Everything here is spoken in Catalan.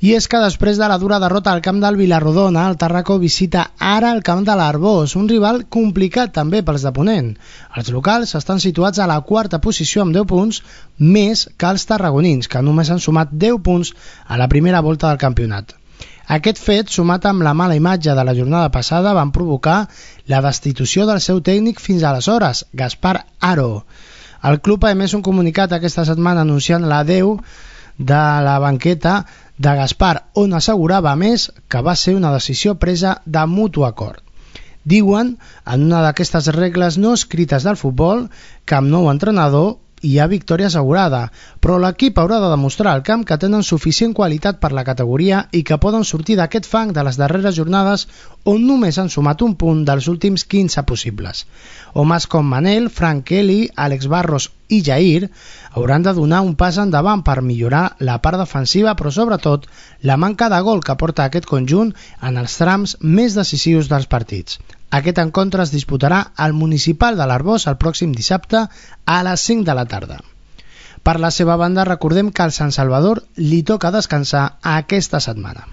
I és que després de la dura derrota al camp del Vilarrodona, el Tàrraco visita ara el camp de l'Arbós, un rival complicat també pels de Ponent. Els locals estan situats a la quarta posició amb 10 punts, més que els tarragonins, que només han sumat 10 punts a la primera volta del campionat. Aquest fet, sumat amb la mala imatge de la jornada passada, van provocar la destitució del seu tècnic fins aleshores, Gaspar Haro. El club ha emès un comunicat aquesta setmana anunciant l'adeu de la banqueta de Gaspar, on assegurava més que va ser una decisió presa de mutu acord. Diuen, en una d'aquestes regles no escrites del futbol, que amb nou entrenador hi ha victòria assegurada, però l'equip haurà de demostrar al camp que tenen suficient qualitat per la categoria i que poden sortir d'aquest fang de les darreres jornades on només han sumat un punt dels últims 15 possibles. Homes com Manel, Frank Kelly, Àlex Barros i Jair hauran de donar un pas endavant per millorar la part defensiva, però sobretot la manca de gol que porta aquest conjunt en els trams més decisius dels partits. Aquest encontre es disputarà al Municipal de l'Arbós el pròxim dissabte a les 5 de la tarda. Per la seva banda, recordem que al Sant Salvador li toca descansar aquesta setmana.